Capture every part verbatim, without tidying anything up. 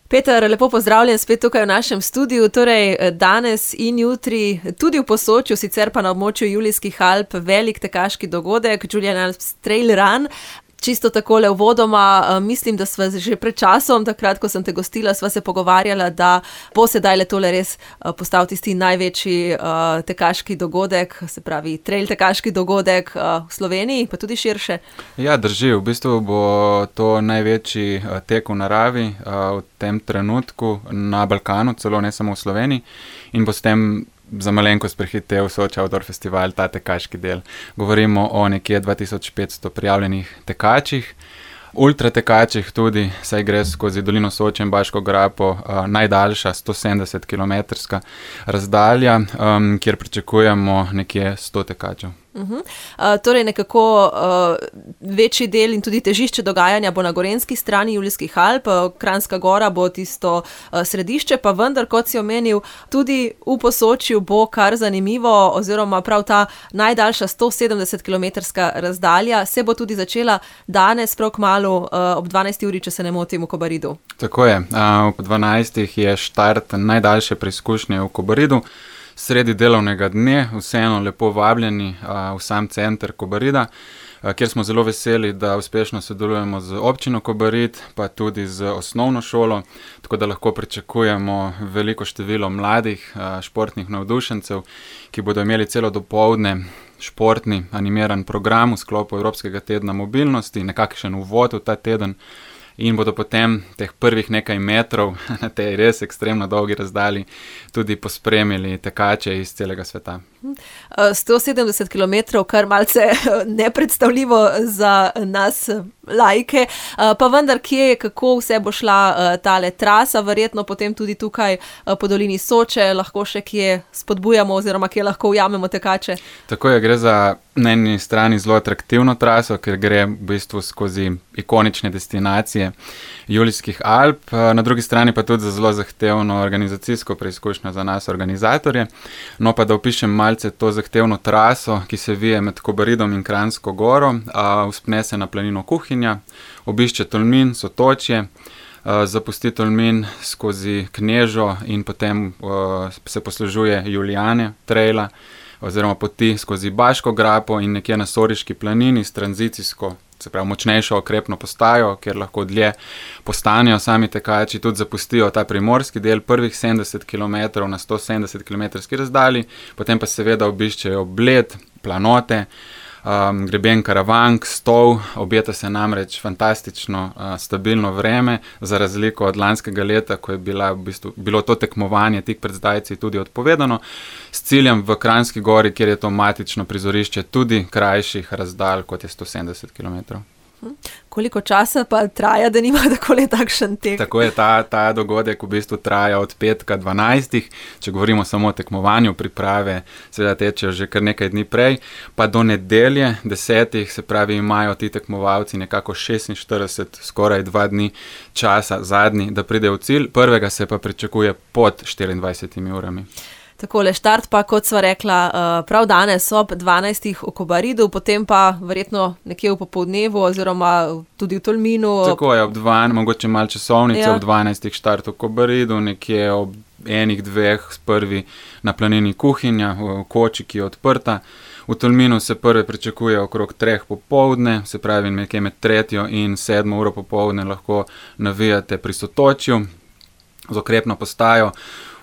Peter, lepo pozdravljen spet tukaj v našem studiu. Torej, danes in jutri tudi v Posočju, sicer pa na območju Julijskih Alp, velik tekaški dogodek, Julian Alps Trail Run. Čisto takole uvodoma, mislim, da sva že pred časom, takrat, ko sem te gostila, sva se pogovarjala, da bo sedaj le tole res postal tisti največji uh, tekaški dogodek, se pravi trail tekaški dogodek uh, v Sloveniji, pa tudi širše. Ja, drži. V bistvu bo to največji uh, tek v naravi uh, v tem trenutku na Balkanu, celo ne samo v Sloveniji, in bo s tem za malenkost prehitev Soči Outdoor Festival, ta tekaški del. Govorimo o nekje dva tisoč petsto prijavljenih tekačih, ultra tekačih tudi, saj gre skozi dolino Soče in Baško grapo, uh, najdaljša sto sedemdeset kilometrska razdalja, um, kjer pričakujemo nekje sto tekačev. Uh-huh. Uh, torej nekako uh, večji del in tudi težišče dogajanja bo na gorenjski strani Julijskih Alp, uh, Kranjska Gora bo tisto uh, središče, pa vendar, kot si omenil, tudi v Posočju bo kar zanimivo, oziroma prav ta najdaljša sto sedemdeset kilometrska razdalja se bo tudi začela danes prav kmalu uh, ob dvanajsti uri, če se ne motim, v Kobaridu. Tako je, uh, ob dvanajstih je štart najdaljše preizkušnje v Kobaridu. Sredi delovnega dne, vseeno lepo vabljeni a, v sam center Kobarida, a, kjer smo zelo veseli, da uspešno sodelujemo z občino Kobarid, pa tudi z osnovno šolo, tako da lahko pričakujemo veliko število mladih a, športnih navdušencev, ki bodo imeli celo dopoldne športni animiran program v sklopu Evropskega tedna mobilnosti, nekakšen uvod v ta teden. In bodo potem teh prvih nekaj metrov na tej res ekstremno dolgi razdalji tudi pospremili tekače iz celega sveta. sto sedemdeset kilometrov, kar malce nepredstavljivo za nas laike, pa vendar kje, kako vse bo šla tale trasa, verjetno potem tudi tukaj po dolini Soče lahko še kje spodbujamo oziroma kje lahko ujamemo tekače. Tako je, gre za na eni strani zelo atraktivno traso, ker gre v bistvu skozi ikonične destinacije Julijskih Alp, na drugi strani pa tudi za zelo zahtevno organizacijsko preizkušnjo za nas organizatorje. No pa da opišem malce to zahtevno traso, ki se vije med Kobaridom in Kranjsko Goro, a, vzpne se na planino Kuhinja, obišče Tolmin, Sotočje, a, zapusti Tolmin skozi Knežo in potem a, se poslužuje Julijane traila oziroma poti skozi Baško grapo in nekje na Soriški planini s tranzicijsko, se pravi močnejšo okrepno postajo, kjer lahko dlje postanejo sami tekači, tudi zapustijo ta primorski del prvih sedemdeset kilometrov na sto sedemdeset kilometrski razdalji, potem pa seveda obiščejo Bled, planote, um, greben Karavank, Stol, obeta se namreč fantastično uh, stabilno vreme, za razliko od lanskega leta, ko je bila, v bistvu, bilo to tekmovanje tik pred zdajci tudi odpovedano, s ciljem v Kranjski Gori, kjer je to matično prizorišče tudi krajših razdalj, kot je sto sedemdeset kilometrov. Koliko časa pa traja, da nima takole takšen tek? Tako je, ta, ta dogodek v bistvu traja od petka dvanajstih, če govorimo samo o tekmovanju, priprave seveda tečejo že kar nekaj dni prej, pa do nedelje desetih, se pravi, imajo ti tekmovalci nekako šestinštirideset, skoraj dva dni časa zadnji, da pridejo v cilj, prvega se pa pričakuje pod štiriindvajsetimi urami. Takole, štart pa, kot sva rekla, prav danes ob dvanajstih v Kobaridu, potem pa verjetno nekje v popoldnevu oziroma tudi v Tolminu. Tako je, ob dvanajstih, mogoče malo časovnice, ja. Ob dvanajstih štart v Kobaridu, nekje ob enih, dveh prvi na planini Kuhinja, v koči, ki je odprta. V Tolminu se prve pričakuje okrog treh popoldne, se pravi nekje med tretjo in sedmo uro popoldne lahko navijate pri Sotočju z okrepno postajo.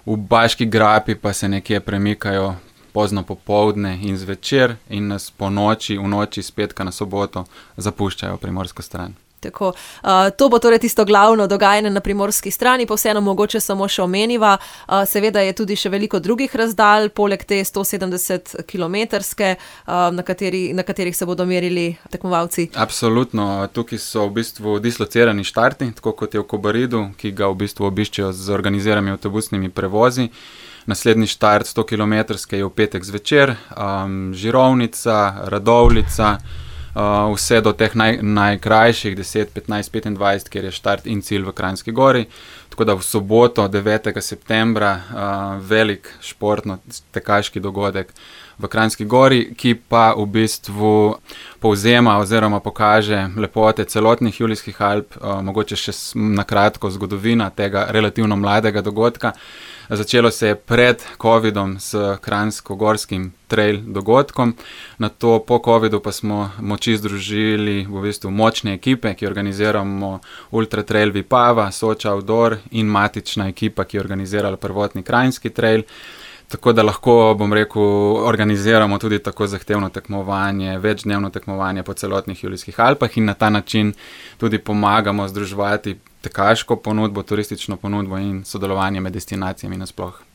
V Baški grapi pa se nekje premikajo pozno popoldne in zvečer in nas po noči, v noči s petka na soboto zapuščajo primorsko stran. Tako, uh, to bo torej tisto glavno dogajanje na primorski strani, pa vseeno mogoče samo še omeniva. Uh, seveda je tudi še veliko drugih razdalj, poleg te sto sedemdeset kilometrske, uh, na, kateri, na katerih se bodo merili tekmovalci. Absolutno, tukaj so v bistvu dislocirani štarti, tako kot je v Kobaridu, ki ga v bistvu obiščejo z organiziranimi avtobusnimi prevozi. Naslednji štart sto kilometrske je v petek zvečer, um, Žirovnica, Radovljica, Uh, vse do teh naj, najkrajših deset, petnajst, petindvajset, kjer je štart in cilj v Kranjski Gori. Tako da v soboto, devetega septembra, uh, velik športno-tekaški dogodek v Kranjski Gori, ki pa v bistvu povzema oziroma pokaže lepote celotnih Julijskih Alp, uh, mogoče še na kratko zgodovina tega relativno mladega dogodka. Začelo se je pred covidom s Kranjsko-Gorskim trail dogodkom, nato po covidu pa smo moči združili v bistvu močne ekipe, ki organiziramo Ultra Trail Vipava, Soča Outdoor in matična ekipa, ki je organizirala prvotni Kranjski trail. Tako da lahko, bom rekel, organiziramo tudi tako zahtevno tekmovanje, večdnevno tekmovanje po celotnih Julijskih Alpah in na ta način tudi pomagamo združevati tekaško ponudbo, turistično ponudbo in sodelovanje med destinacijami nasploh.